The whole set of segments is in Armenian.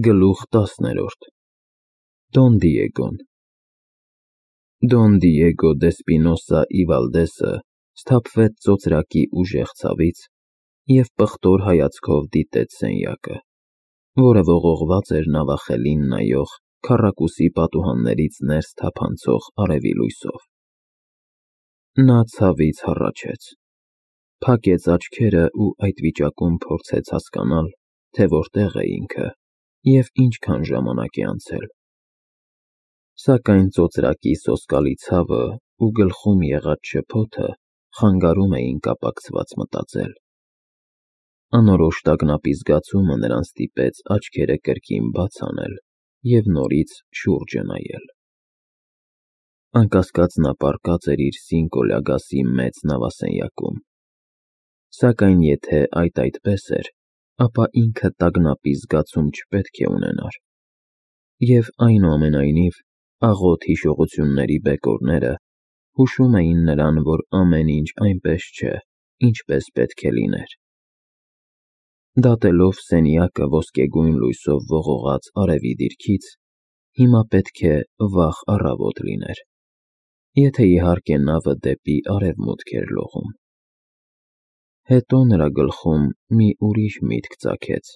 Գլուխ 10-րդ Դոն Դիեգոն Դոն Դիեգո Դեսպինոսա ի Վալդեսը սթափվեց ծոծրակի ուժեղ ցավից և պղտոր հայացքով դիտեց սենյակը, որը ողողված էր նավախելին նայող քառակուսի պատուհաններից ներս թափանցող արևի լույսով։ Նա ցավից հառաչեց, փակեց աչքերը ու այդ վիճակում փորձեց հասկանալ, թե որտեղ է ինքը և ինչքան ժամանակ է անցել։ Սակայն ծոծրակի սոսկալի ցավը ու գլխում եղած շփոթը խանգարում էին կապակցված մտածել։ Անորոշ տագնապի զգացումը նրան ստիպեց աչքերը կրկին բաց անել և նորից շուրջը նայել։ Անկասկած նա պառկած էր իր Սինկոլյագասի մեծ նավասենյակում։ Սակայն եթե այդ այդպես էր, ապա ինքը տագնապի զգացում չպետք է ունենար։ Եվ այնուամենայնիվ աղոտ հիշողությունների բեկորները հուշում էին նրան, որ ամեն ինչ այնպես չէ, ինչպես պետք է լիներ։ Դատելով սենյակը ոսկեգույն լույսով ողողած արևի դիրքից, հիմա պետք է վաղ առավոտ լիներ, եթե իհարկե նավը դեպի արևմուտք էր լողում։ Հետո նրա գլխում մի ուրիշ միտք ծագեց.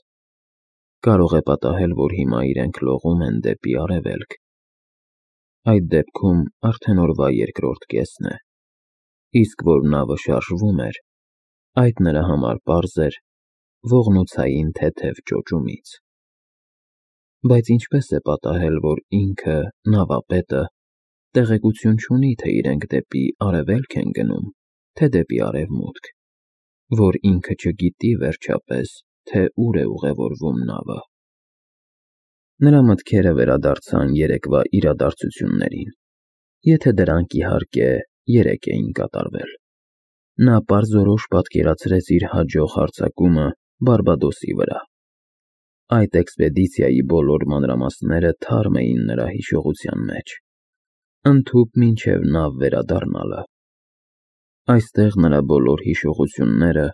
կարող է պատահել, որ հիմա իրենք լողում են դեպի արևելք։ Այդ դեպքում արդեն օրվա երկրորդ կեսն է, իսկ որ նավը շարժվում էր, այդ նրա համար պարզ էր ողնոցային թեթև ճոճումից։ Բայց ինչպես է պատահել, որ ինքը, նավապետը, տեղեկություն չունի, թե իրենք դեպի արևելք են գնում, թե դեպի արևմուտք, որ ինքը չգիտի վերջապես, թե ուր է ուղևորվում նավը։ Նրա մտքերը վերադարձան երեկվա իրադարձություններին, եթե դրանք իհարկե երեկ էին կատարվել։ Նա պարզորոշ պատկերացրեց իր հաջող հարձակումը Բարբադոսի վրա։ Այդ էքսպեդիցիայի բոլոր մանրամասները թարմ էին նրա հիշողության մեջ, ընդհուպ մինչև նավ վերադառնալը։ Այստեղ նրա բոլոր հիշողությունները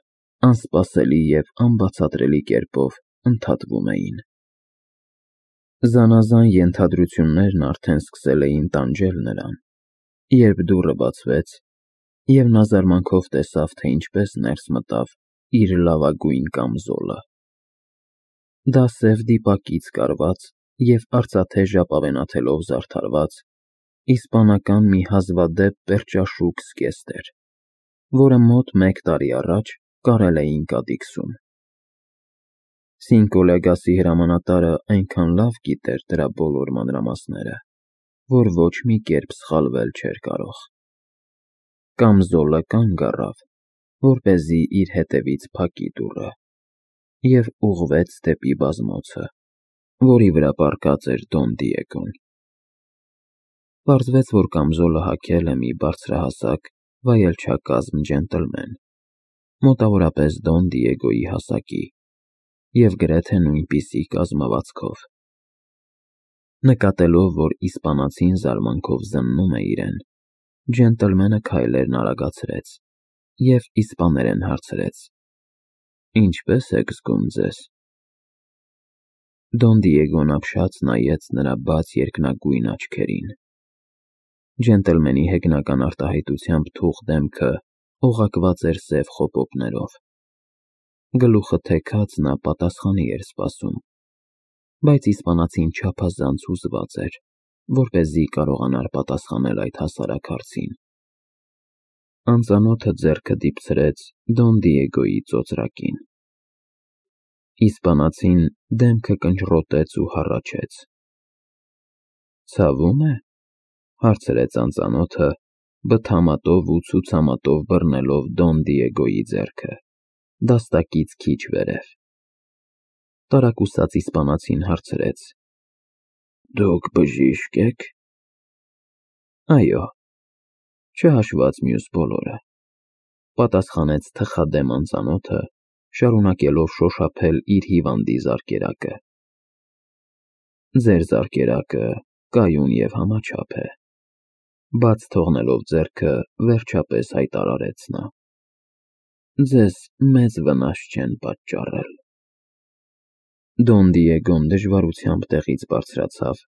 անսպասելի և անբացատրելի կերպով ընդհատվում էին։ Զանազան ենթադրություններն արդեն սկսել էին տանջել նրան, երբ դուռը բացվեց, և նա զարմանքով տեսավ, թե ինչպես ներս մտավ իր լավագույն կամզոլը։ Դա սև դիպակից կարված և արծաթե ժապավենաթելով զարդարված իսպանական մի հազվադեպ պերճաշուք զգեստ էր, որը մոտ մեկ տարի առաջ կարել էին Կադիքսում։ Սինկոլյագասի հրամանատարը այնքան լավ գիտեր դրա բոլոր մանրամասները, որ ոչ մի կերպ սխալվել չէր կարող։ Կամզոլը կանգ առավ, որպեսզի իր հետևից փակի դուռը, և ուղղվեց դեպի բազմոցը, որի վրա պառկած էր Դոն Դիեգոն։ Պարզվեց, որ կամզոլը հագել է մի բարձրահասակ, վայելչակազմ ջենտլմեն, մոտավորապես Դոն Դիեգոյի հասակի և գրեթե նույնպիսի կազմվածքով։ Նկատելով, որ իսպանացին զարմանքով զննում է իրեն, ջենտլմենը քայլերն արագացրեց և իսպաներեն հարցրեց. «Ինչպե՞ս եք զգում ձեզ»։ Դոն Դիեգոն ապշած նայեց նրա բաց երկնագույն աչքերին։ Ջենտլմենի հեգնական արտահայտությամբ թուխ դեմքը օղակված էր սև խոպոպներով։ Գլուխը թեքած նա պատասխանի էր սպասում, բայց իսպանացին չափազանց հուզված էր, որպեսզի կարողանար պատասխանել այդ հասարակ հարցին։ Անծանոթը ձեռքը դիպցրեց Դոն Դիեգոյի ծոծրակին։ Իսպանացին դեմքը կնճռոտեց ու հառաչեց։ «Ցավում է»։ հարցրեց անծանոթը, բթամատով ու ցուցամատով բռնելով Դոն Դիեգոյի ձեռքը, դաստակից քիչ վերև։ Տարակուսած իսպանացին հարցրեց. «Դուք բժիշկ եք»։ «Այո, չհաշված մյուս բոլորը», պատասխանեց թխադեմ անծանոթը, շարունակելով շոշափել իր հիվանդի զարկերակը։ «Ձեր զարկերակը կայուն և համաչափ է», բաց թողնելով ձեռքը, վերջապես հայտարարեց նա։ «Ձեզ մեծ վնաս չեն պատճառել»։ Դոն Դիեգոն դժվարությամբ տեղից բարձրացավ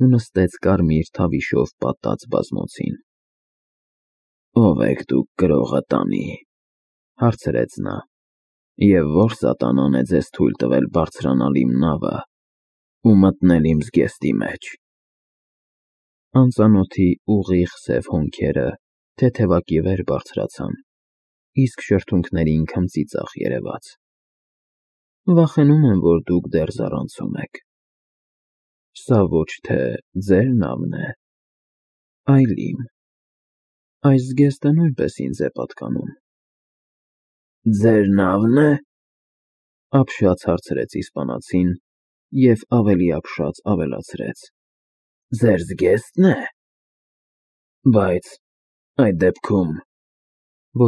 ու նստեց կարմիր թավիշով պատած բազմոցին։ «Ո՞վ եք դուք գրողը տանի», հարցրեց նա, «և ո՞ր սատանան է ձեզ թույլ տվել բարձրանալ իմ նավը ու մտնել իմ զգեստի մեջ»։ Անծանոթի ուղիղ սև հոնքերը թեթևակի վեր բարձրացան, իսկ շրթունքներին քմծի ծախ երևաց։ «Վախենում եմ, որ դուք դեռ զառանցում եք։ Սա ոչ թե ձեր նավն է, այլ իմ։ Այս զգեստը նույնպես ինձ է պատկանում»։ «Ձեր նավն է», ապշած հարցրեց իսպանացին և ավելի ապշած ավելացրեց. «Ձեր զգեստն է։ Բայց այդ դեպքում…»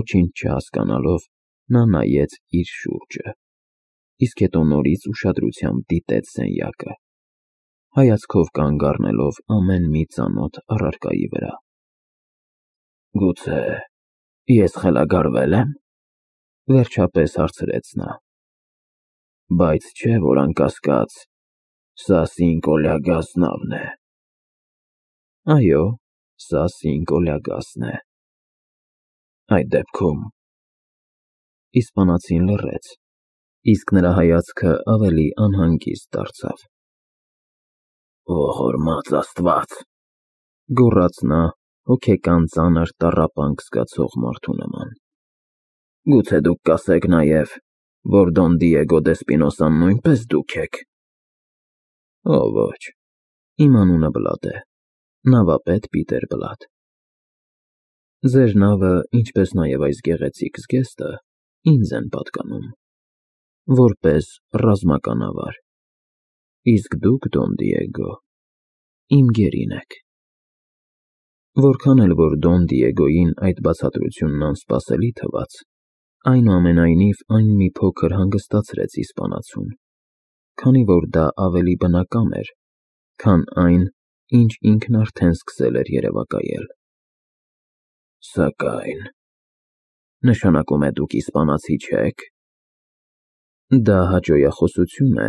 Ոչինչ չհասկանալով, նա նայեց իր շուրջը, իսկ հետո նորից ուշադրությամբ դիտեց սենյակը, հայացքով կանգ առնելով ամեն մի ծանոթ առարկայի վրա։ «Գուցե ես խելագարվե՞լ եմ», վերջապես հարցրեց նա։ «Բայց չէ՞ որ անկասկած սա Սինկոլյագաս նավն է»։ «Այո, սա Սինկոլյագասն է»։ «Այդ դեպքում…» Իսպանացին լռեց, իսկ նրա հայացքը ավելի անհանգիստ դարձավ։ «Ողորմած Աստված», գոռաց նա հոգեկան ծանր տառապանք զգացող մարդու նման, «գուցե դուք կասեք նաև, որ Դոն Դիեգո դե Սպինոսան նույնպես դուք եք»։ «Օ ոչ, իմ անունը Բլադ է, նավապետ Պիտեր Բլադ։ Ձեր նավը, ինչպես նաև այս գեղեցիկ զգեստը ինձ են պատկանում, որպես ռազմականավար, իսկ դուք, Դոն Դիեգո, իմ գերին եք»։ Որքան էլ որ Դոն Դիեգոյին այդ բացատրությունն անսպասելի թվաց, այնուամենայնիվ այն մի փոքր հանգստացրեց իսպանացուն, քանի որ դա ավելի բնական էր, քան այն, ինչ ինքն արդեն սկսել էր երևակայել։ «Սակայն… նշանակում է դուք իսպանացի չեք»։ Դա հաճոյախոսություն է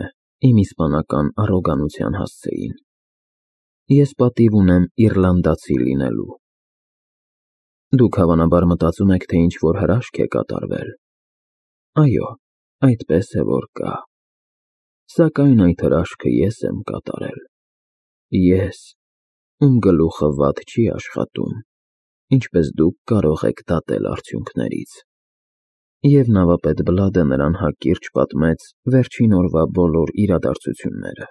իմ իսպանական առոգանության հասցեին։ Ես պատիվ ունեմ իռլանդացի լինելու։ Դուք հավանաբար մտածում եք, թե ինչ-որ հրաշք է կատարվել։ Այո, այդպես է որ կա։ Սակայն այդ հրաշքը ես եմ կատարել։ Ես, ում գլուխը վատ չի աշխատում, ինչպես դուք կարող եք դատել արդյունքներից։ Եվ նավապետ Բլադը նրան հակիրճ պատմեց վերջին օրվա բոլոր իրադարձությունները։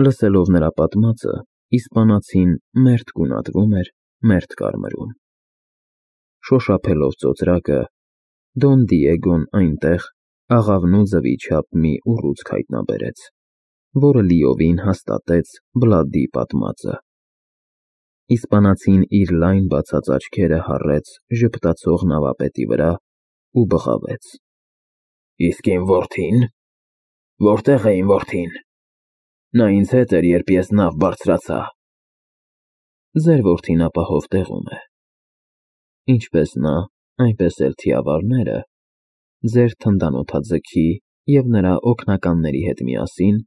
Լսելով նրա պատմածը, իսպանացին մերթ գունատվում էր, մերթ կարմրում։ Շոշափելով ծոծրակը, Դոն Դիեգոն այնտեղ աղավնու ձվի չափ մի ուռուցք հայտնաբերեց, որը լիովին հաստատեց Բլադի պատմածը։ Իսպանացին իր լայն բացած աչքերը հառեց ժպտացող նավապետի վրա ու բղավեց. «Իսկ իմ որդին… Որտե՞ղ է իմ որդին… Նա ինձ հետ էր, երբ ես նավ բարձրացա»։ Ձեր որդին ապահով տեղում է։ Ինչպես նա, այնպես էլ թիավարները ձեր թնդանոթաձգի և նրա օգնականների հետ միասին,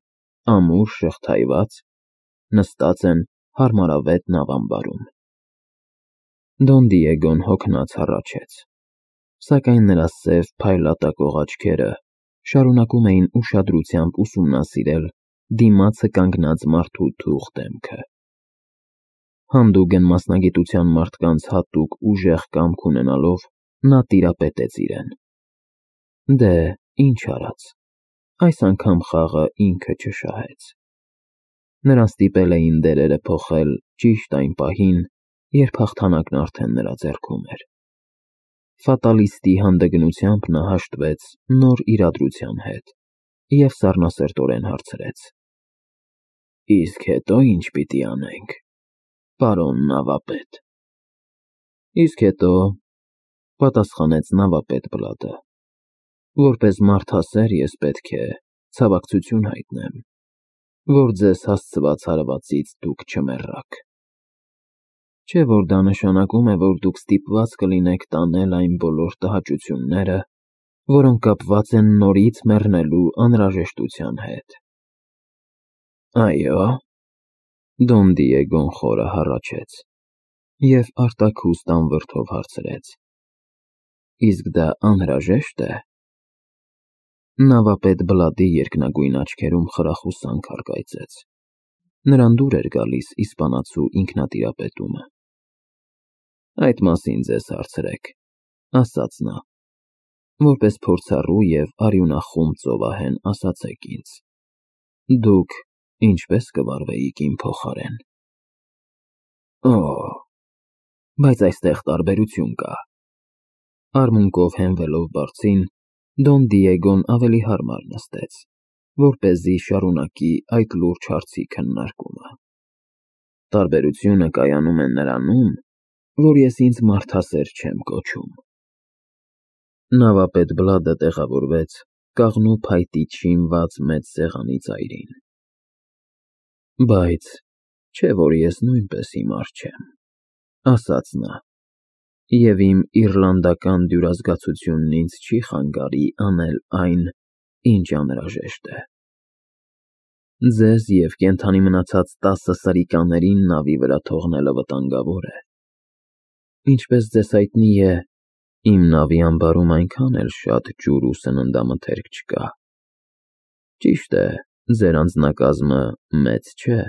ամուր շղթայված, նստած են հարմարավետ նավամբարում։ Դոն Դիեգոն հոգնած հառաչեց, սակայն նրա սև փայլատակող աչքերը շարունակում էին ուշադրությամբ ուսումնասիրել դիմացը կանգնած մարդու թուղթ դեմքը։ Հանդուգն մասնագիտության մարդկանց հատուկ ուժեղ կամք ունենալով, նա տիրապետեց իրեն։ Դե, ինչ արած, այս անգամ խաղը ինքը չշահեց։ Նրան ստիպել էին դերերը փոխել ճիշտ այն պահին, երբ հաղթանակն արդեն նրա ձեռքում էր։ Ֆատալիստի հանդգնությամբ նա հաշտվեց նոր իրադրության հետ և սառնասրտորեն հարցրեց. «Իսկ հետո ի՞նչ պիտի անենք, պարոն նավապետ»։ «Իսկ հետո…» պատասխանեց նավապետ Բլադը, «որպես մարդասեր ես պետք է ցավակցություն հայտնեմ, որ ձեզ հասցված հարվածից դուք չմեռաք։ Չէ՞ որ դա նշանակում է, որ դուք ստիպված կլինեք տանել այն բոլոր տհաճությունները, որոնք կապված են նորից մեռնելու անհրաժեշտության հետ։ Այո, Դոն Դիեգոն խորը հառաչեց և արտաքուստ անվրդով հարցրեց. Իսկ դա անհրաժե՞շտ է։ Նավապետ Բլադի երկնագույն աչքերում խրախուսանք առկայծեց։ Նրան դուր էր գալիս իսպանացու ինքնատիրապետումը։ Այդ մասին ձեզ հարցրեք, ասաց նա, որպես փորձառու և արյունախում ծովահեն ասացեք ինձ, դուք ինչպես կվարվեիք իմ փոխարեն։ Օ, բայց այստեղ տարբերություն կա։ Արմունկով հենվելով բարձին, Դոն Դիեգոն ավելի հարմար նստեց, որպեսզի շարունակի այդ լուրջ հարցի քննարկումը։ Տարբերությունը կայանում է նրանում, որ ես ինձ մարդասեր չեմ կոչում։ Նավապետ Բլադը տեղավորվեց կաղնու փայտից շինված մեծ սեղանի ծայրին։ Բայց չէ՞ որ ես նույնպես հիմար չեմ, ասաց նա, և իմ իռլանդական դյուրազգացությունն ինձ չի խանգարի անել այն, ինչ անհրաժեշտ է։ Ձեզ և կենդանի մնացած 10 սրիկաներին նավի վրա թողնելը վտանգավոր է։ Ինչպես ձեզ հայտնի է, իմ նավի ամբարում այնքան էլ շատ ջուր ու սննդամթերք չկա։ Ճիշտ է, ձեր անձնակազմը մեծ չէ,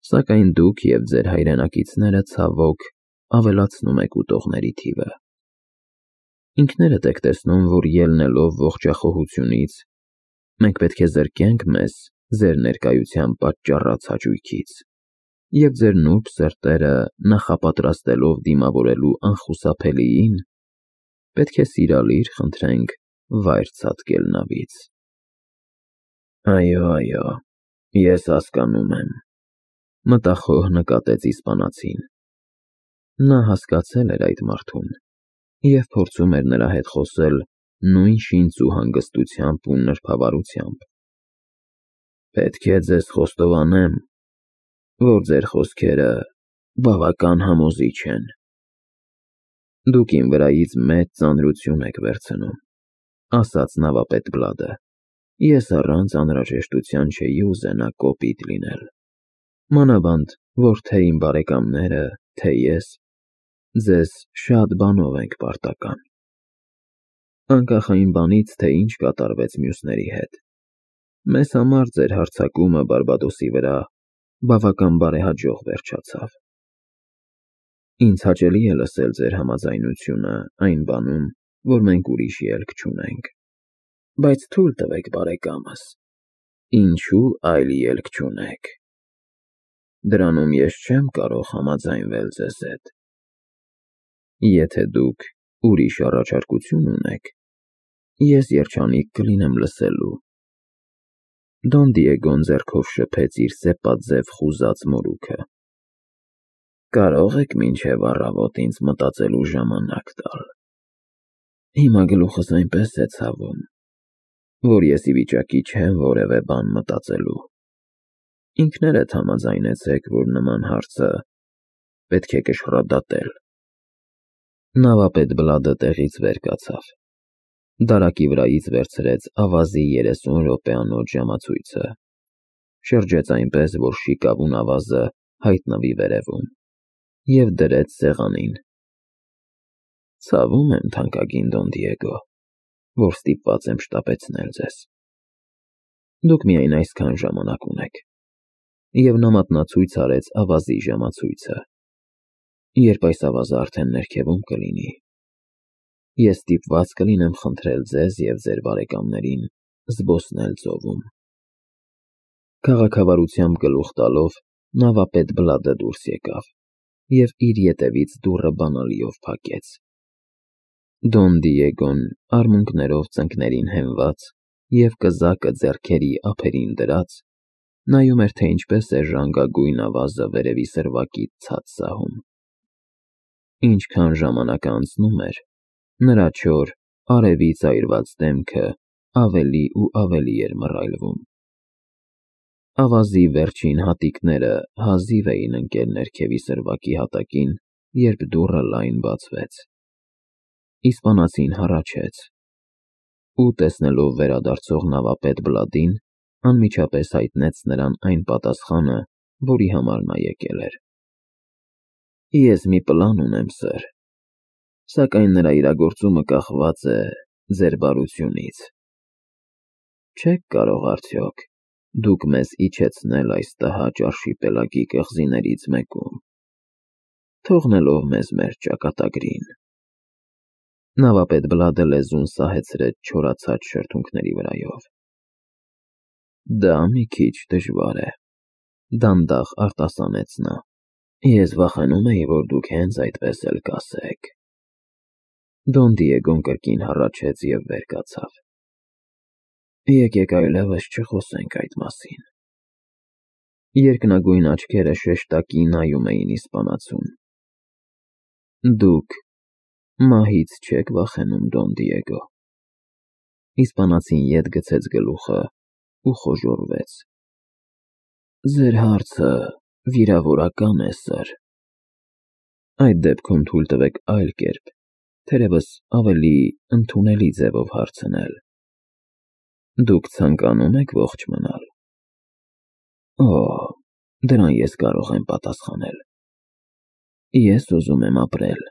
սակայն դուք և ձեր հայրենակիցները, ցավոք, ավելացնում եք ուտողների թիվը։ Ինքներդ եք տեսնում, որ ելնելով ողջախոհությունից, մենք պետք է զրկենք մեզ ձեր ներկայությամբ պատճառած հաճույքից, և ձեր նուրբ սրտերը նախապատրաստելով դիմավորելու անխուսափելիին, պետք է սիրալիր խնդրենք վայր ցատկել նավից։ Այո, ես հասկանում եմ, մտախոհ նկատեց իսպանացին։ Նա հասկացել էր այդ մարդուն և փորձում էր նրա հետ խոսել նույն շինծ ու հանգստությամբ ու նրբավարությամբ։ Պետք է ձեզ խոստովանեմ, որ ձեր խոսքերը բավական համոզիչ են։ Դուք իմ վրայից մեծ ծանրություն եք վերցնում, ասաց նավապետ Բլադը։ Ես առանց անհրաժեշտության չէի ուզենա կոպիտ լինել։ Մանավանդ, որ թե իմ բարեկամները, թե ես ձեզ շատ բանով ենք պարտական։ Անկախ այն բանից, թե ինչ կատարվեց մյուսների հետ, մեզ համար ձեր հարձակումը Բարբադոսի վրա բավական բարեհաջող վերջացավ։ Ինձ հաճելի է լսել ձեր համաձայնությունը այն բանում, որ մենք ուրիշ ելք չունենք։ Բայց թույլ տվեք, բարեկամս, ինչու այլ ելք չունեք։ Դրանում ես չեմ կարող համաձայնվել ձեզ հետ։ Եթե դուք ուրիշ առաջարկություն ունեք, ես երջանիկ կլինեմ լսելու։ Դոն Դիեգոն ձեռքով շփեց իր սեպաձև խուզած մորուքը։ Կարող եք մինչև առավոտ ինձ մտածելու ժամանակ տալ։ Հիմա գլուխս այնպես է ցավում, որ ես ի վիճակի չեմ որևէ բան մտածելու։ Ինքներդ համաձայնեցեք, որ նման հարցը պետք է կշռադատել։ Նավապետ Բլադը տեղից վեր կացավ։ Դարակի վրայից վերցրեց ավազի 30 րոպեանոց ժամացույցը, շրջեց այնպես, որ շիկավուն ավազը հայտնվի վերևում, և դրեց սեղանին։ Ցավում եմ, թանկագին Դոն Դիեգո, որ ստիպված եմ շտապեցնել ձեզ։ Դուք միայն այսքան ժամանակ ունեք։ Եվ նա մատնացույց արեց ավազի ժամացույցը։ Երբ այս ավազը արդեն ներքևում կլինի, ես ստիպված կլինեմ խնդրել ձեզ և ձեր բարեկամներին զբոսնել ծովում։ Քաղաքավարությամբ գլուխ տալով նավապետ Բլադը դուրս եկավ և իր ետևից դուռը բանալիով փակեց։ Դոն Դիեգոն, արմունկներով ծնկներին հենված և կզակը ձեռքերի ափերին դրած, նայում էր, թե ինչպես է ժանգագույն ավազը վերևի սրվակից ցած սահում։ Ինչքան ժամանակը անցնում էր, նրա չոր, արևից այրված դեմքը ավելի ու ավելի էր մռայլվում։ Ավազի վերջին հատիկները հազիվ էին ընկել ներքևի սրվակի հատակին, երբ դուռը լայն բացվեց։ Իսպանացին հառաչեց. ու տեսնելով վերադարձող նավապետ Բլադին, անմիջապես հայտնեց նրան այն պատասխանը, որի համար նա եկել էր։ Ես մի պլան ունեմ, սըր, սակայն նրա իրագործումը կախված է ձեր բարությունից։ Չեք կարող արդյոք դուք մեզ իջեցնել այս տհաճ արշիպելագի կղզիներից մեկում, թողնելով մեզ մեր ճակատագրին։ Նավապետ Բլադը լեզուն սահեցրեց չորացած շրթունքների վրայով։ Դա մի քիչ դժվար է, դանդաղ արտասանեց նա։ Ես վախենում էի, որ դուք հենց այդպես էլ կասեք։ Դոն Դիեգոն կրկին հառաչեց և վեր կացավ։ Եկեք այլևս չխոսենք այդ մասին։ Երկնագույն աչքերը շեշտակի նայում էին իսպանացուն։ Դուք մահից չեք վախենում, Դոն Դիեգո։ Իսպանացին ետ գցեց գլուխը ու խոժոռվեց։ Ձեր հարցը վիրավորական է, սըր։ Այդ դեպքում թույլ տվեք այլ կերպ, թերևս ավելի ընդունելի ձևով հարցնել։ Դուք ցանկանում եք ողջ մնալ։ Օ, դրան ես կարող եմ պատասխանել։ Ես ուզում եմ ապրել,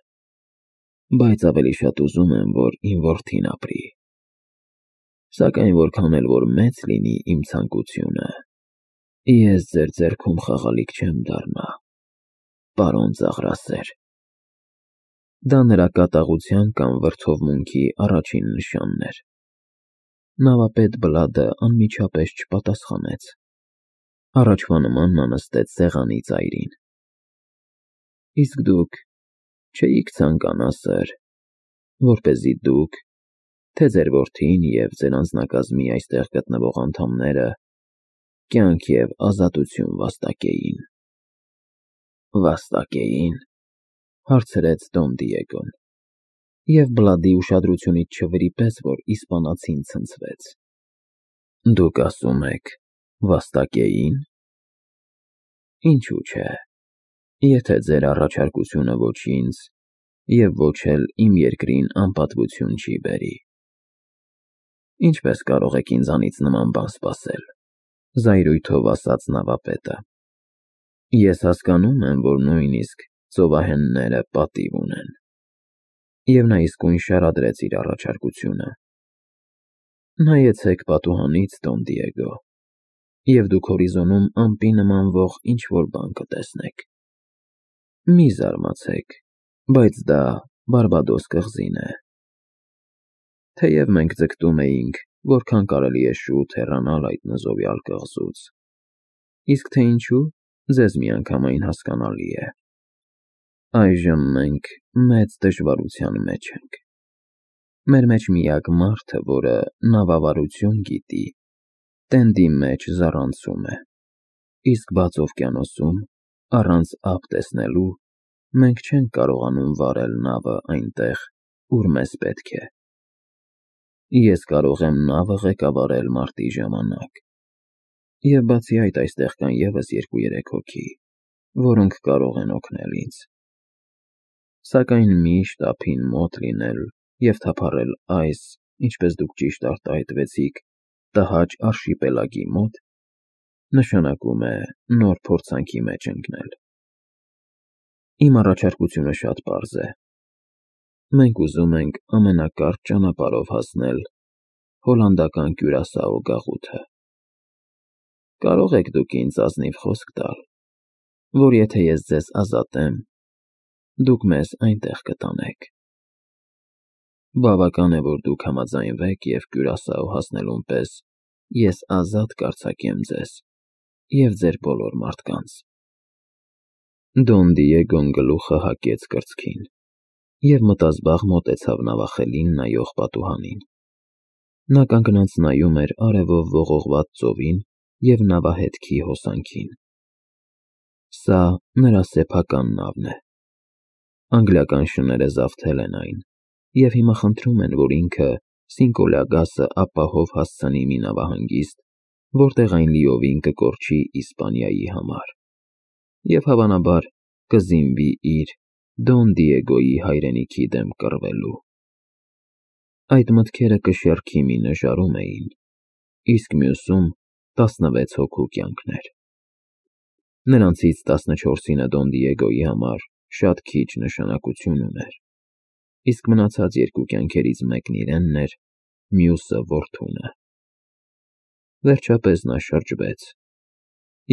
բայց ավելի շատ ուզում եմ, որ իմ որդին ապրի։ Սակայն որքան էլ որ մեծ լինի իմ ցանկությունը, ես ձեր ձեռքում խաղալիք չեմ դառնա, պարոն Ծաղրասեր։ Դա նրա կատաղության կամ վրդովմունքի առաջին նշանն էր։ Նավապետ Բլադը անմիջապես չպատասխանեց։ Առաջվա նման նա նստեց սեղանի ծայրին։ Իսկ դուք չէիք ցանկանա, սըր, որպեսզի դուք, թե ձեր որդին և ձեր անձնակազմի այստեղ գտնվող անդամները կյանք և ազատություն վաստակեին։ Վաստակեին, հարցրեց Դոն Դիեգոն, և Բլադի ուշադրությունից չվրիպեց, որ իսպանացին ցնցվեց։ Դուք ասում եք վաստակեի՞ն։ Ինչու՞ չէ, եթե ձեր առաջարկությունը ոչ ինձ և ոչ էլ իմ երկրին անպատվություն չի բերի։ Ինչպես կարող եք ինձանից նման բան սպասել, զայրույթով ասաց նավապետը։ Ես հասկանում եմ, որ նույնիսկ ծովահենները պատիվ ունեն։ Եվ նա իսկույն շարադրեց իր առաջարկությունը։ Նայեցեք պատուհանից, Դոն Դիեգո, և դուք հորիզոնում ամպի նմանվող ինչ-որ բան կտեսնեք։ Մի զարմացեք, բայց դա Բարբադոս կղզին է։ Թեև մենք ձգտում էինք, որքան կարելի է շուտ հեռանալ այդ նզովյալ կղզուց, իսկ թե ինչու, ձեզ միանգամայն հասկանալի է։ Այժմ մենք մեծ դժվարության մեջ ենք։ Մեր մեջ միակ մարդը, որը նավավարություն գիտի, տենդի մեջ զառանցում է, իսկ բաց օվկիանոսում, առանց ափ տեսնելու, մենք չենք կարողանում վարել նավը այնտեղ, ուր մեզ պետք է։ Ես կարող եմ նավը ղեկավարել մարտի ժամանակ, և բացի այդ այստեղ կան ևս 2-3 հոգի, որոնք կարող են օգնել ինձ։ Սակայն միշտ ափին մոտ լինել և թափառել այս, ինչպես դուք ճիշտ արտահայտվեցիք, տհաճ արշիպելագի մոտ, նշանակում է նոր փորձանքի մեջ ընկնել։ Իմ առաջարկությունը շատ պարզ է։ Մենք ուզում ենք ամենակարճ ճանապարհով հասնել հոլանդական Կյուրասաո գաղութը։ Կարող եք դուք ինձ ազնիվ խոսք տալ, որ եթե ես ձեզ ազատեմ, դուք մեզ այնտեղ կտանեք։ Բավական է, որ դուք համաձայնվեք և Կյուրասաո հասնելուն պես ես ազատ կարձակեմ ձեզ և ձեր բոլոր մարդկանց։ Դոն Դիեգոն գլուխը հակեց կրծքին և մտազբաղ մոտեցավ նավախելին նայող պատուհանին։ Նա կանգնած նայում էր արևով ողողված ծովին և նավահետքի հոսանքին։ Սա նրա սեփական նավն է։ Անգլիական շները զավթել են այն, և հիմա խնդրում են, որ ինքը Սինկոլագասը ապահով հասցնի մի նավահանգիստ, որտեղ այն լիովին կկորչի Իսպանիայի համար, և հավանաբար կզինվի իր՝ Դոն Դիեգոյի հայրենիքի դեմ կռվելու։ Այդ մտքերը կշեռքի մի նժարում էին, իսկ մյուսում 16 հոգու կյանքներ։ Նրանցից 14-ինը Դոն Դիեգոյի համար շատ քիչ նշանակություն ուներ, իսկ մնացած երկու կյանքերից մեկն իրենն էր, մյուսը որդունը։ Վերջապես նա շրջվեց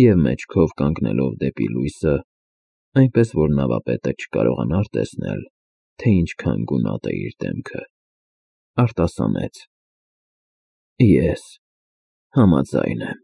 և մեջքով կանգնելով դեպի լույսը, այնպես որ նավապետը չկարողանար տեսնել, թե ինչքան գունատ է իր դեմքը, արտասանեց. Ես համաձայն եմ։